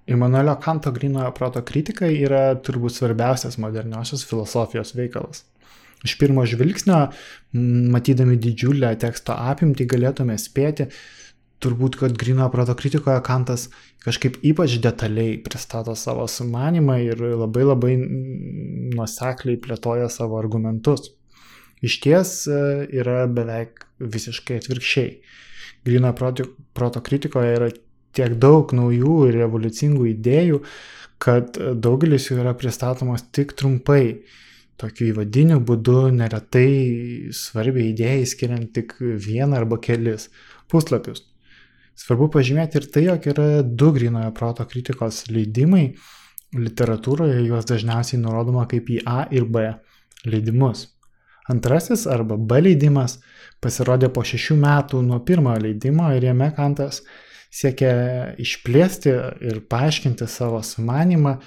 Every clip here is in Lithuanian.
Immanuelio Kanto grynojo proto kritika yra turbūt svarbiausias moderniosios filosofijos veikalas. Iš pirmo žvilgsnio, matydami didžiulę teksto apimtį, galėtume spėti, turbūt, kad grynojo proto kritikoje Kantas kažkaip ypač detaliai pristato savo sumanimą ir labai nuosekliai plėtoja savo argumentus. Iš ties yra beveik visiškai atvirkščiai. Grynojo proto kritikoje yra tiek daug naujų ir revoliucingų idėjų, kad daugelis jų yra pristatomos tik trumpai, tokiu įvadiniu būdu, neretai svarbiai idėjai skiriant tik vieną arba kelis puslapius. Svarbu pažymėti ir tai, jog yra 2 grynojo proto kritikos leidimai. Literatūroje juos dažniausiai nurodoma kaip į A ir B leidimus. Antrasis arba B leidimas pasirodė po 6 metų nuo pirmojo leidimo ir jame Kantas siekia išplėsti ir paaiškinti savo sumanimą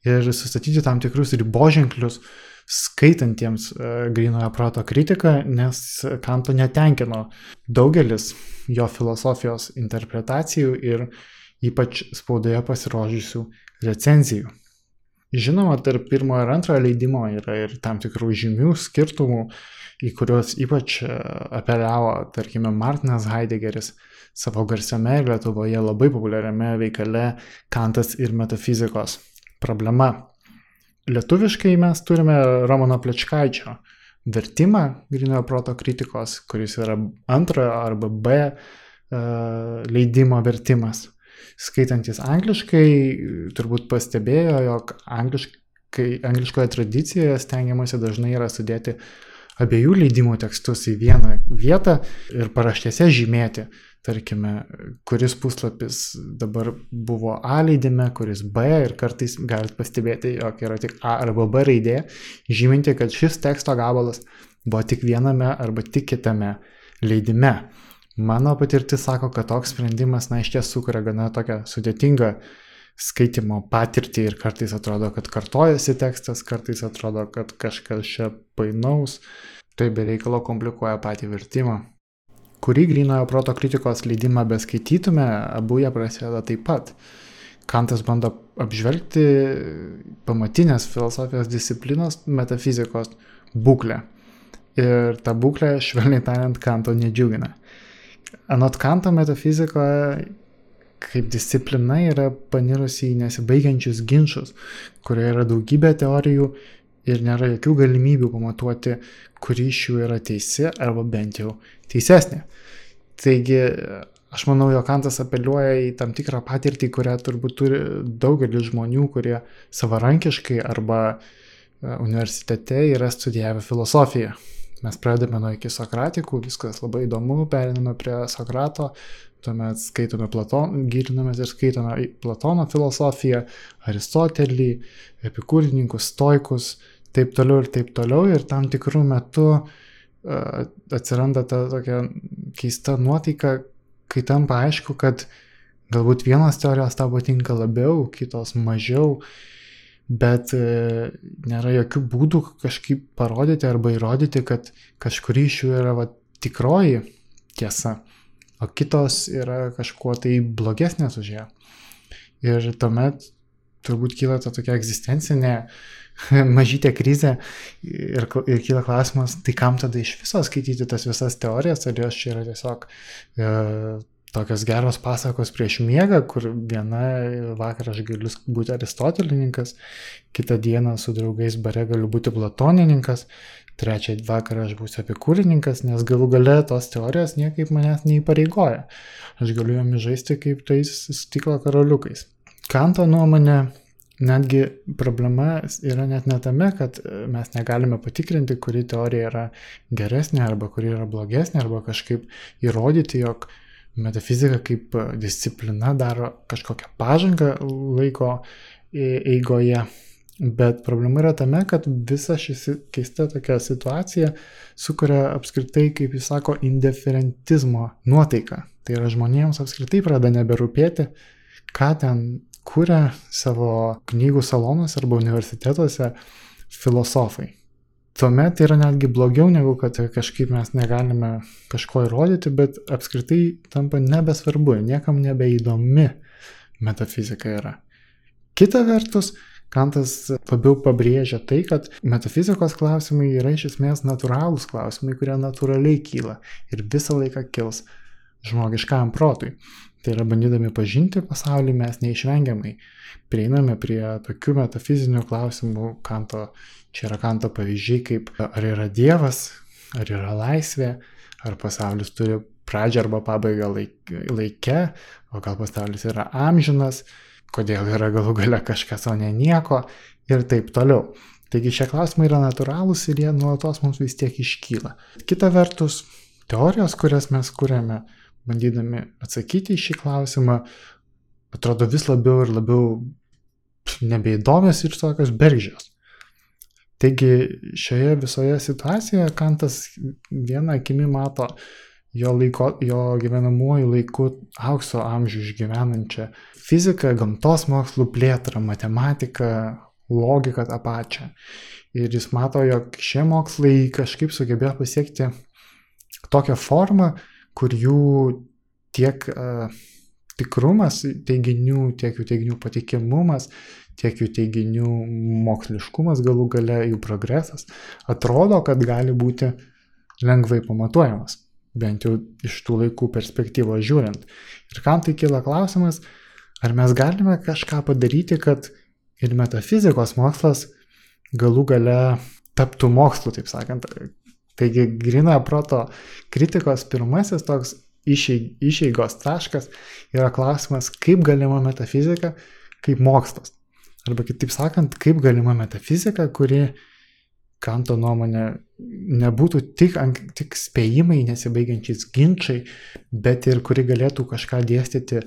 ir sustatyti tam tikrus riboženklius skaitantiems grynojo proto kritiką, nes Kanto netenkino daugelis jo filosofijos interpretacijų ir ypač spaudoje pasirodžiusių recenzijų. Žinoma, tarp pirmojo ir antrojo leidimo yra ir tam tikrų žymių skirtumų, į kuriuos ypač apeliavo, tarkime, Martinas Heideggeris savo garsiame ir Lietuvoje labai populiariame veikale Kantas ir metafizikos problema. Lietuviškai mes turime Romano Plečkaičio vertimą grynojo proto kritikos, kuris yra antrojo arba B leidimo vertimas. Skaitantis angliškai, turbūt pastebėjo, jog angliškoje tradicijoje stengiamasi dažnai yra sudėti abiejų leidimų tekstus į vieną vietą ir paraštėse žymėti, tarkime, kuris puslapis dabar buvo A leidime, kuris B, ir kartais galite pastebėti, jog yra tik A arba B raidė, žyminti, kad šis teksto gabalas buvo tik viename arba tik kitame leidime. Mano patirtis sako, kad toks sprendimas, iš ties sukuria gana tokią sudėtingą skaitimo patirtį ir kartais atrodo, kad kartojasi tekstas, kartais atrodo, kad kažkas čia painaus, tai be reikalo komplikuoja patį vertimą. Kurį grynojo proto kritikos leidimą beskaitytume, abu jie prasideda taip pat. Kantas bando apžvelgti pamatinės filosofijos disciplinos metafizikos būklę. Ir ta būklė, švelniai tariant, Kanto nedžiugina. Anot Kanto, metafizika kaip disciplina yra panirusi į nesibaigiančius ginčus, kurioje yra daugybė teorijų ir nėra jokių galimybių pamatuoti, kuri iš jų yra teisi arba bent jau teisesnė. Taigi, aš manau, jog Kantas apeliuoja į tam tikrą patirtį, kurią turbūt turi daugelis žmonių, kurie savarankiškai arba universitete yra studijavę filosofiją. Mes pradedame nuo iki Sokratikų, viskas labai įdomu, periname prie Sokrato, tuomet skaitome gilinamės ir skaitome Platono filosofiją, Aristotelį, epikūrininkus, stoikus, taip toliau, ir tam tikrų metų atsiranda ta tokia keista nuotaika, kai tampa aišku, kad galbūt vienos teorijos tau patinka labiau, kitos mažiau, bet nėra jokių būdų kažkaip parodyti arba įrodyti, kad kažkuri iš jų yra tikroji tiesa, o kitos yra kažkuo tai blogesnės už ją. Ir tuomet turbūt kyla ta tokia egzistencinė mažytė krizė ir kyla klausimas, tai kam tada iš viso skaityti tas visas teorijas, ar jos čia yra tiesiog tokios geros pasakos prieš miegą, kur vieną vakarą aš galiu būti aristotelininkas, kitą dieną su draugais bare galiu būti platonininkas, trečią vakarą aš būsiu epikūrininkas, nes galų gale tos teorijos niekaip manęs neįpareigoja. Aš galiu jomis žaisti kaip tais stiklo karoliukais. Kanto nuomonė, netgi problema yra net ne tame, kad mes negalime patikrinti, kuri teorija yra geresnė arba kuri yra blogesnė, arba kažkaip įrodyti, jog metafizika kaip disciplina daro kažkokią pažangą laiko eigoje, bet problema yra tame, kad visa ši keista tokia situacija sukuria apskritai, kaip jis sako, indiferentizmo nuotaiką. Tai yra žmonėms apskritai pradeda neberūpėti, ką ten kuria savo knygų salonuose arba universitetuose filosofai. Tuomet yra netgi blogiau, negu kad kažkaip mes negalime kažko įrodyti, bet apskritai tampa nebesvarbu, niekam nebeįdomi metafizika yra. Kita vertus, Kantas labiau pabrėžia tai, kad metafizikos klausimai yra iš esmės natūralūs klausimai, kurie natūraliai kyla ir visą laiką kils žmogiškam protui. Tai yra, bandydami pažinti pasaulį, mes neišvengiamai prieiname prie tokių metafizinių klausimų. Čia yra Kanto pavyzdžiai, kaip ar yra Dievas, ar yra laisvė, ar pasaulis turi pradžią arba pabaigą laike, o gal pasaulis yra amžinas, kodėl yra galų gale kažkas, o ne nieko ir taip toliau. Taigi šie klausimai yra natūralūs ir jie nuolatos mums vis tiek iškyla. Kita vertus, teorijos, kurias mes kuriame, bandydami atsakyti į šį klausimą, atrodo vis labiau ir labiau nebeįdomios ir tokios bergždžios. Taigi šioje visoje situacijoje Kantas vieną akimi mato jo gyvenamuoju laiku aukso amžių išgyvenančią fiziką, gamtos mokslų plėtrą, matematiką, logiką tą pačią. Ir jis mato, jog šie mokslai kažkaip sugebėjo pasiekti tokią formą, kur jų tiek tikrumas teiginių, tiek jų teiginių patikimumas, tiek jų teiginių moksliškumas, galų gale jų progresas, atrodo, kad gali būti lengvai pamatuojamas, bent jau iš tų laikų perspektyvos žiūrint. Ir Kantui kyla klausimas, ar mes galime kažką padaryti, kad ir metafizikos mokslas galų gale taptų mokslu, taip sakant. Taigi grynojo proto kritikos pirmasis toks išeigos taškas yra klausimas, kaip galima metafizika kaip mokslas. Arba kitaip sakant, kaip galima metafizika, kuri Kanto nuomonė nebūtų tik spėjimai, nesibaigiančiais ginčiai, bet ir kuri galėtų kažką dėstyti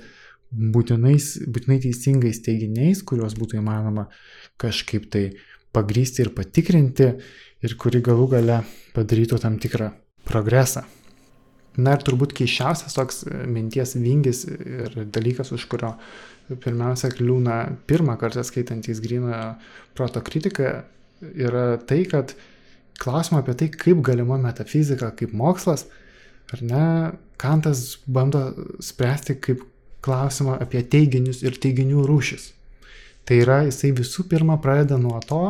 būtinai teisingais teiginiais, kuriuos būtų įmanoma kažkaip tai pagrysti ir patikrinti ir kuri galų gale padarytų tam tikrą progresą. Na ir turbūt keisčiausias toks minties vingis ir dalykas, už kurio pirmiausia kliūna pirmą kartą skaitantys grynojo proto kritiką, yra tai, kad klausimą apie tai, kaip galima metafizika kaip mokslas, ar ne, Kantas bando spręsti kaip klausimą apie teiginius ir teiginių rūšis. Tai yra, jisai visų pirma pradeda nuo to,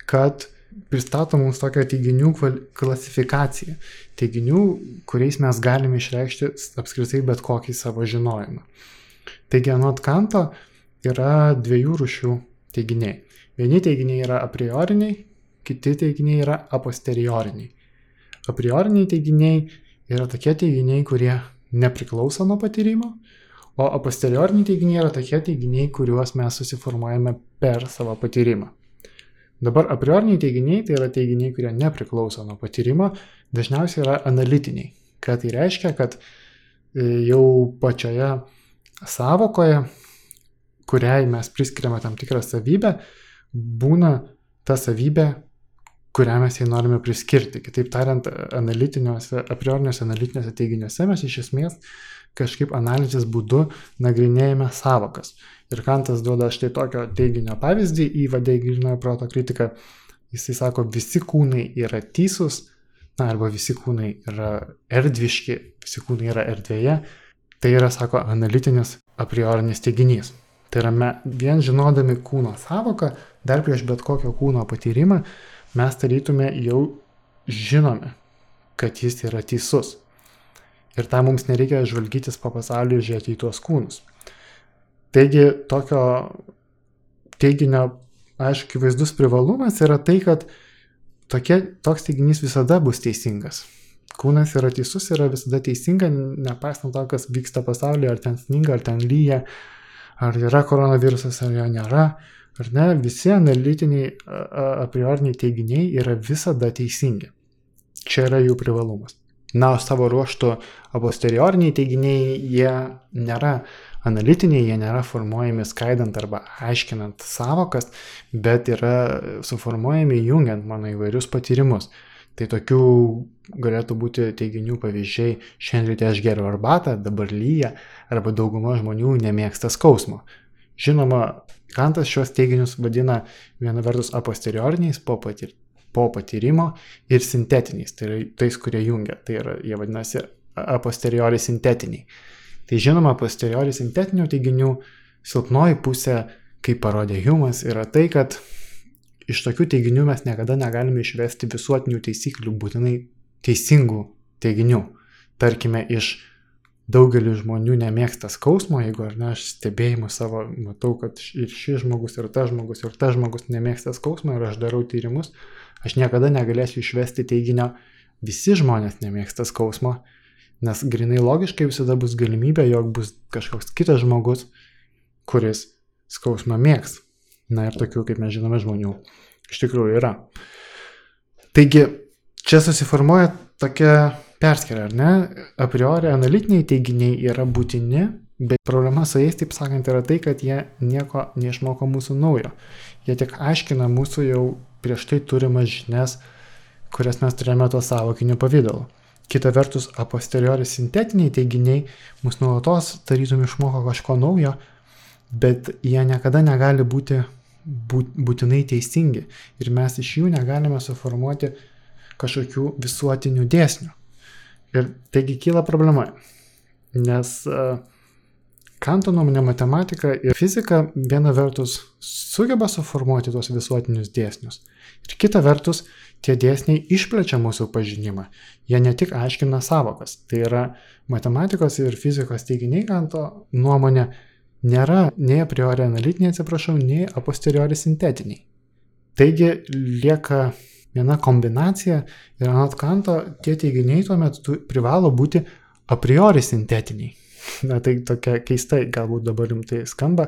kad pristato mums tokią teiginių klasifikaciją. Teiginių, kuriais mes galime išreikšti apskritai bet kokį savo žinojimą. Taigi, anot Kanto yra dviejų rūšių teiginiai. Vieni teiginiai yra a prioriniai, kiti teiginiai yra a posterioriniai. A prioriniai teiginiai yra tokie teiginiai, kurie nepriklauso nuo patyrimo, o a posterioriniai teiginiai yra tokie teiginiai, kuriuos mes susiformuojame per savo patyrimą. Dabar a prioriniai teiginiai tai yra teiginiai, kurie nepriklauso nuo patyrimo, dažniausiai yra analitiniai. Ką tai reiškia, kad jau pačioje sąvokoje, kuriai mes priskiriame tam tikrą savybę, būna ta savybė, kurią mes jai norime priskirti. Kitaip tariant, a prioriniuose analitiniuose teiginiuose mes iš esmės kažkaip analizės būdu nagrinėjame sąvokas. Ir Kantas duoda štai tokio teiginio pavyzdį, įvade į grynojo proto kritiką. Jisai sako, visi kūnai yra tysūs, arba visi kūnai yra erdviški, visi kūnai yra erdvėje. Tai yra, sako, analitinis a priorinis teiginys. Tai yra, vien žinodami kūno sąvoką, dar prieš bet kokio kūno patyrimą, mes tarytume jau žinome, kad jis yra teisus. Ir tam mums nereikia žvalgytis po pasaulį ir žiūrėti į tuos kūnus. Taigi, tokio teiginio, aišku, vaizdus privalumas yra tai, kad toks teiginys visada bus teisingas. Kūnas yra teisus, yra visada teisinga, nepaisant to, kas vyksta pasaulyje, ar ten sninga, ar ten lyja, ar yra koronavirusas, ar jo nėra, ar ne, visi analitiniai a prioriniai teiginiai yra visada teisingi. Čia yra jų privalumas. Na, o savo ruožtu a posterioriniai teiginiai, jie nėra analitiniai, jie nėra formuojami skaidant arba aiškinant sąvokas, bet yra suformuojami jungiant mano įvairius patyrimus. Tai tokių galėtų būti teiginių pavyzdžiai, šiandien ryte aš geriu arbatą, dabar lyja, arba dauguma žmonių nemėgsta skausmo. Žinoma, Kantas šios teiginius vadina viena vertus a posterioriniais po patyrimo ir sintetiniais, tai yra tais, kurie jungia, tai yra, jie vadinasi a posteriori sintetiniai. Tai žinoma, a posteriori sintetinių teiginių silpnoji pusė kaip parodė Humas, yra tai, kad iš tokių teiginių mes niekada negalime išvesti visuotinių taisyklių, būtinai teisingų teiginių. Tarkime, iš daugelį žmonių nemėgsta skausmo, jeigu ar ne, aš stebėjimu savo matau, kad ir šis žmogus, ir tas žmogus nemėgsta skausmo ir aš darau tyrimus, aš niekada negalėsiu išvesti teiginio, visi žmonės nemėgsta skausmo, nes grinai logiškai visada bus galimybė, jog bus kažkoks kitas žmogus, kuris skausmą mėgs. Na ir tokių, kaip mes žinome, žmonių iš tikrųjų yra. Taigi, čia susiformuoja tokia perskėra, ar ne? A priori analitiniai teiginiai yra būtini, bet problema su jais, taip sakant, yra tai, kad jie nieko neišmoko mūsų naujo. Jie tik aiškina mūsų jau prieš tai turimas žinias, kurias mes turėjome to savokiniu pavidalu. Kita vertus, a posteriori sintetiniai teiginiai mus nuolatos tarytum išmoko kažko naujo, bet jie niekada negali būti būtinai teisingi ir mes iš jų negalime suformuoti kažkokių visuotinių dėsnių. Ir taigi kyla problema, nes Kanto nuomonė matematika ir fizika viena vertus sugeba suformuoti tos visuotinius dėsnius ir kita vertus tie dėsniai išplečia mūsų pažinimą. Jie ne tik aiškina sąvokas, tai yra matematikos ir fizikos teiginiai Kanto nuomonė nėra nei a priori analitiniai, nei a posteriori sintetiniai. Taigi lieka viena kombinacija ir anot Kanto tie teiginiai tuomet privalo būti a priori sintetiniai. Na tai tokia keistai, galbūt dabar rimtai skamba.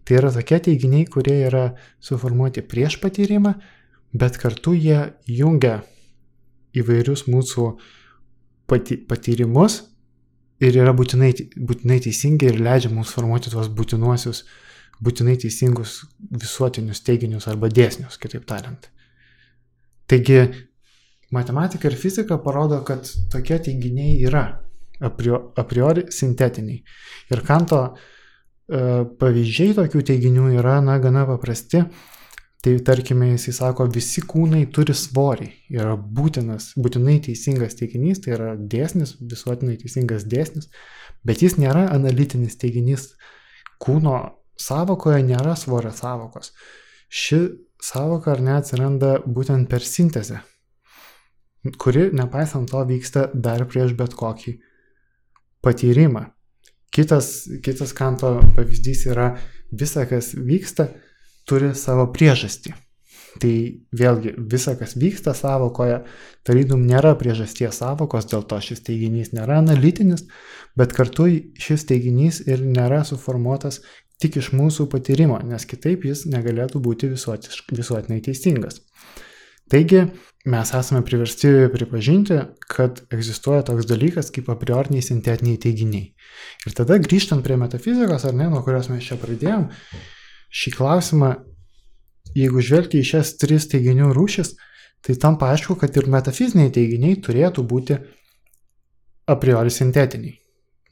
Tai yra tokie teiginiai, kurie yra suformuoti prieš patyrimą, bet kartu jie jungia įvairius mūsų patyrimus ir yra būtinai teisingi ir leidžia mums formuoti tuos būtinai teisingus visuotinius teiginius arba dėsnius, kitaip tariant. Taigi, matematika ir fizika parodo, kad tokie teiginiai yra a priori sintetiniai. Ir Kanto pavyzdžiai tokių teiginių yra gana paprasti. Tai tarkime, jisai sako, visi kūnai turi svorį. Yra būtinai teisingas teiginys, tai yra dėsnis, visuotinai teisingas dėsnis, bet jis nėra analitinis teiginys. Kūno sąvokoje nėra svorio sąvokos. Ši sąvoka ar ne atsiranda būtent per sintezę, kuri, nepaisant to, vyksta dar prieš bet kokį patyrimą. Kitas Kanto pavyzdys yra visa, kas vyksta, turi savo priežastį. Tai vėlgi, visa, kas vyksta sąvokoje, tarytum nėra priežasties sąvokos, dėl to šis teiginys nėra analitinis, bet kartu šis teiginys ir nėra suformuotas tik iš mūsų patyrimo, nes kitaip jis negalėtų būti visuotinai teisingas. Taigi, mes esame priversti pripažinti, kad egzistuoja toks dalykas kaip a prioriniai sintetiniai teiginiai. Ir tada grįžtant prie metafizikos, ar ne, nuo kurios mes čia pradėjom, šį klausimą, jeigu žvelgti į šias tris teiginių rūšis, tai tampa aišku, kad ir metafiziniai teiginiai turėtų būti a priori sintetiniai.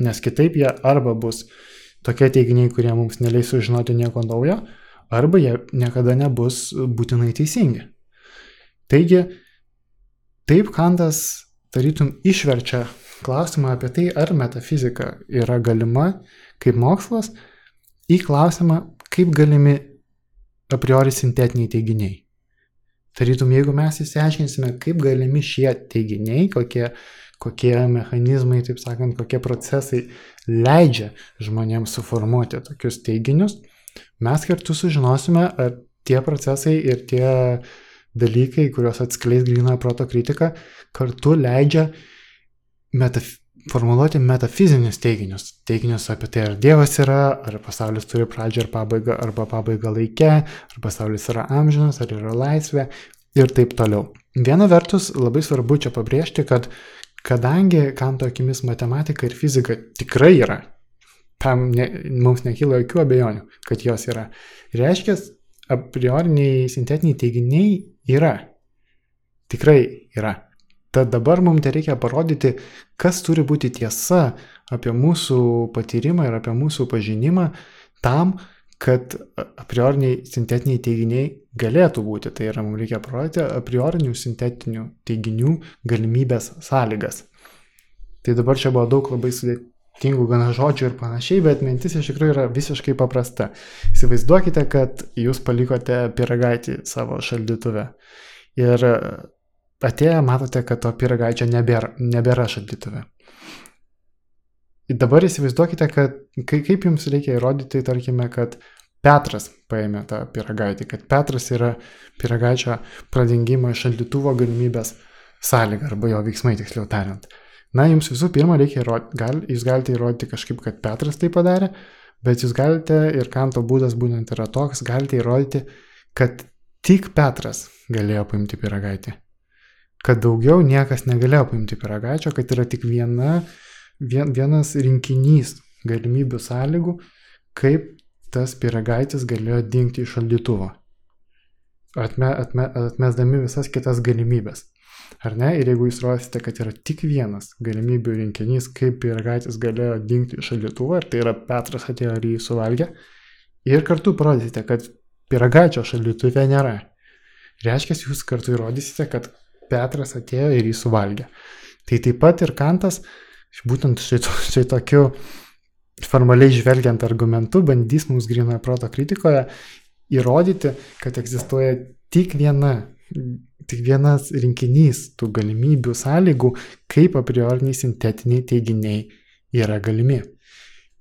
Nes kitaip jie arba bus tokie teiginiai, kurie mums neleis sužinoti nieko naujo, arba jie niekada nebus būtinai teisingi. Taigi, taip Kantas tarytum išverčia klausimą apie tai, ar metafizika yra galima kaip mokslas, į klausimą, kaip galimi a priori sintetiniai teiginiai. Tarytum, jeigu mes išsiaiškinsime, kaip galimi šie teiginiai, kokie mechanizmai, taip sakant, kokie procesai leidžia žmonėms suformuoti tokius teiginius, mes kartu sužinosime, ar tie procesai ir tie dalykai, kuriuos atskleis grynojo proto kritika, kartu leidžia formuluoti metafizinius teiginius. Teiginius apie tai, ar Dievas yra, ar pasaulis turi pradžią ir pabaigą, arba pabaigą laike, ar pasaulis yra amžinas, ar yra laisvė ir taip toliau. Viena vertus, labai svarbu čia pabrėžti, kad kadangi Kanto akimis matematika ir fizika tikrai yra, tam mums nekyla jokių abejonių, kad jos yra. Reiškia, a prioriniai sintetiniai teiginiai yra. Tikrai yra. Tad dabar mums reikia parodyti, kas turi būti tiesa apie mūsų patyrimą ir apie mūsų pažinimą tam, kad a prioriniai sintetiniai teiginiai galėtų būti. Tai yra, mums reikia parodyti a priorinių sintetinių teiginių galimybės sąlygas. Tai dabar čia buvo daug labai sudėtingų gana žodžių ir panašiai, bet mintis iš tikrųjų yra visiškai paprasta. Įsivaizduokite, kad jūs palikote pyragaitį savo šaldytuve ir atėję matote, kad to pyragaičio nebėra šaldytuve. Ir dabar įsivaizduokite, kad kaip jums reikia įrodyti, tarkime, kad Petras paėmė tą pyragaitį, kad Petras yra pyragaičio pradingimo iš šaldytuvo galimybės sąlyga arba jo veiksmai, tiksliau tariant. Na, jums visų pirma reikia įrodyti, jūs galite įrodyti kažkaip, kad Petras tai padarė, bet jūs galite, ir Kanto būdas būtent yra toks, galite įrodyti, kad tik Petras galėjo paimti pyragaitį. Kad daugiau niekas negalėjo paimti pyragaičio, kad yra tik vienas rinkinys galimybių sąlygų, kaip tas pyragaitis galėjo dingti iš šaldytuvo, atmesdami visas kitas galimybės. Ar ne? Ir jeigu jūs rodysite, kad yra tik vienas galimybių rinkinys, kaip pyragaitis galėjo dingti iš šaldytuvo, ir tai yra Petras atėjo ir jį suvalgė, ir kartu parodysite, kad pyragaičio šaldytuve nėra. Reiškia, jūs kartu įrodysite, kad Petras atėjo ir jį suvalgė. Tai taip pat ir Kantas, būtent štai tokiu formaliai žvelgiant argumentu, bandys mums grynojo proto kritikoje įrodyti, kad egzistuoja tik vienas rinkinys tų galimybių sąlygų, kaip a prioriniai sintetiniai teiginiai yra galimi.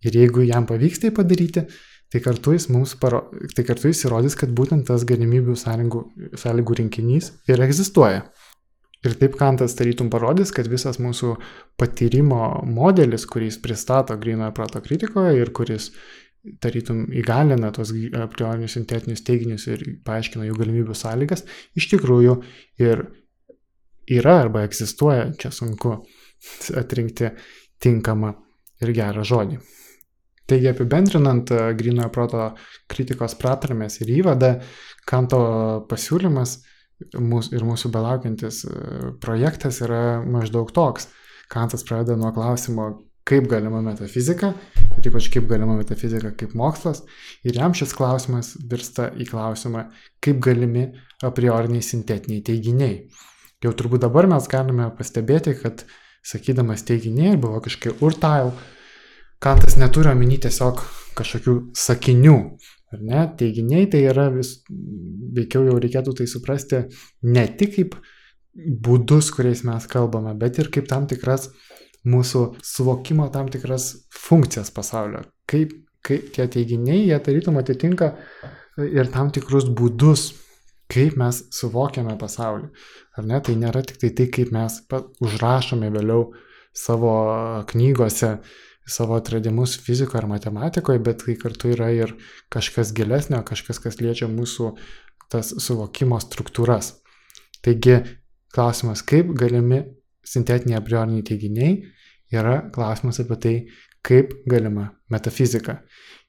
Ir jeigu jam pavyks tai padaryti, tai kartu jis įrodys, kad būtent tas galimybių sąlygų rinkinys ir egzistuoja. Ir taip Kantas tarytum parodys, kad visas mūsų patyrimo modelis, kurį jis pristato grynojo proto kritikoje ir kuris tarytum įgalina tos a priorinius sintetinius teiginius ir paaiškina jų galimybių sąlygas, iš tikrųjų ir yra arba egzistuoja, čia sunku atrinkti tinkamą ir gerą žodį. Taigi apibendrinant grynojo proto kritikos pratarmės ir įvadą, Kanto pasiūlymas ir mūsų belaukiantis projektas yra maždaug toks. Kantas pradeda nuo klausimo, kaip galima metafizika, ir ypač kaip galima metafizika kaip mokslas, ir jam šis klausimas virsta į klausimą, kaip galimi a prioriniai sintetiniai teiginiai. Jau turbūt dabar mes galime pastebėti, kad sakydamas teiginiai arba kažkokie urtail, Kantas neturi omeny tiesiog kažkokių sakinių. Ar ne? Teiginiai tai yra veikiau jau reikėtų tai suprasti ne tik kaip būdus, kuriais mes kalbame, bet ir kaip tam tikras mūsų suvokimo tam tikras funkcijas pasaulio. Kaip tie teiginiai, jie tarytum atitinka ir tam tikrus būdus, kaip mes suvokiame pasaulį. Ar ne? Tai nėra tik tai, kaip mes užrašome vėliau savo knygose savo atradimus fizikoje ar matematikoje, bet tai kartu yra ir kažkas gilesnio, kažkas, kas liečia mūsų tas suvokimo struktūras. Taigi, klausimas, kaip galimi sintetiniai a prioriniai teiginiai, yra klausimas apie tai, kaip galima metafizika.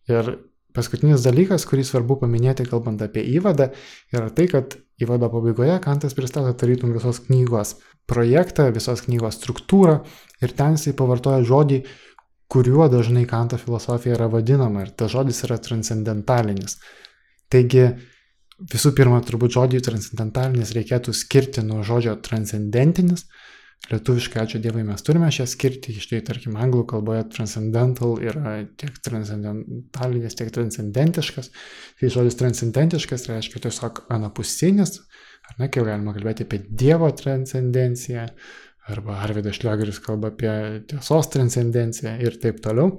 Ir paskutinis dalykas, kurį svarbu paminėti, kalbant apie įvadą, yra tai, kad įvado pabaigoje Kantas pristato tarytum visos knygos projektą, visos knygos struktūrą, ir ten jisai pavartoja žodį, kuriuo dažnai Kanto filosofija yra vadinama, ir tas žodis yra transcendentalinis. Taigi, visų pirma, turbūt žodį transcendentalinis reikėtų skirti nuo žodžio transcendentinis. Lietuviškai, ačiū Dievui, mes turime šią skirti, štai, tarkim, anglų kalboje transcendental yra tiek transcendentalinis, tiek transcendentiškas. Tai žodis transcendentiškas reiškia tiesiog anapusinis, ar ne, kaip galima kalbėti apie Dievo transcendenciją, arba Arvydas Šliogeris kalba apie tiesos transcendenciją ir taip toliau.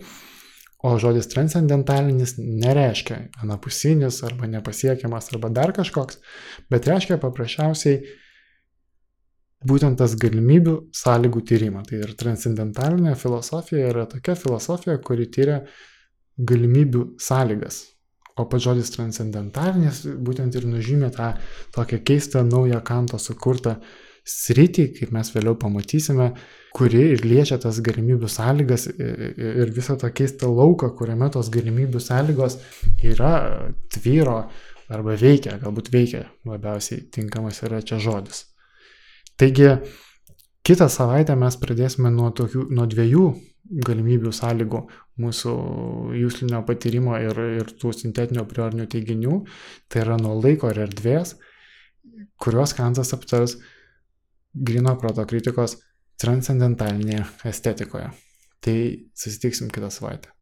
O žodis transcendentalinis nereiškia anapusinis arba nepasiekiamas arba dar kažkoks, bet reiškia paprasčiausiai būtent tas galimybių sąlygų tyrimą. Tai ir transcendentalinė filosofija yra tokia filosofija, kuri tyria galimybių sąlygas. O pats žodis transcendentalinis būtent ir nužymė tą tokią keistą naują Kanto sukurtą sritį, kaip mes vėliau pamatysime, kuri ir liečia tas galimybių sąlygas ir visą tą keistą lauką, kuriame tos galimybių sąlygos yra, tvyro arba veikia, galbūt veikia, labiausiai tinkamas yra čia žodis. Taigi, kitą savaitę mes pradėsime nuo dviejų galimybių sąlygų mūsų juslinio patyrimo ir tų sintetinių a priorinių teiginių, tai yra nuo laiko ir erdvės, kuriuos Kantas aptars grynojo proto kritikos transcendentalinėje estetikoje. Tai susitiksim kitą savaitę.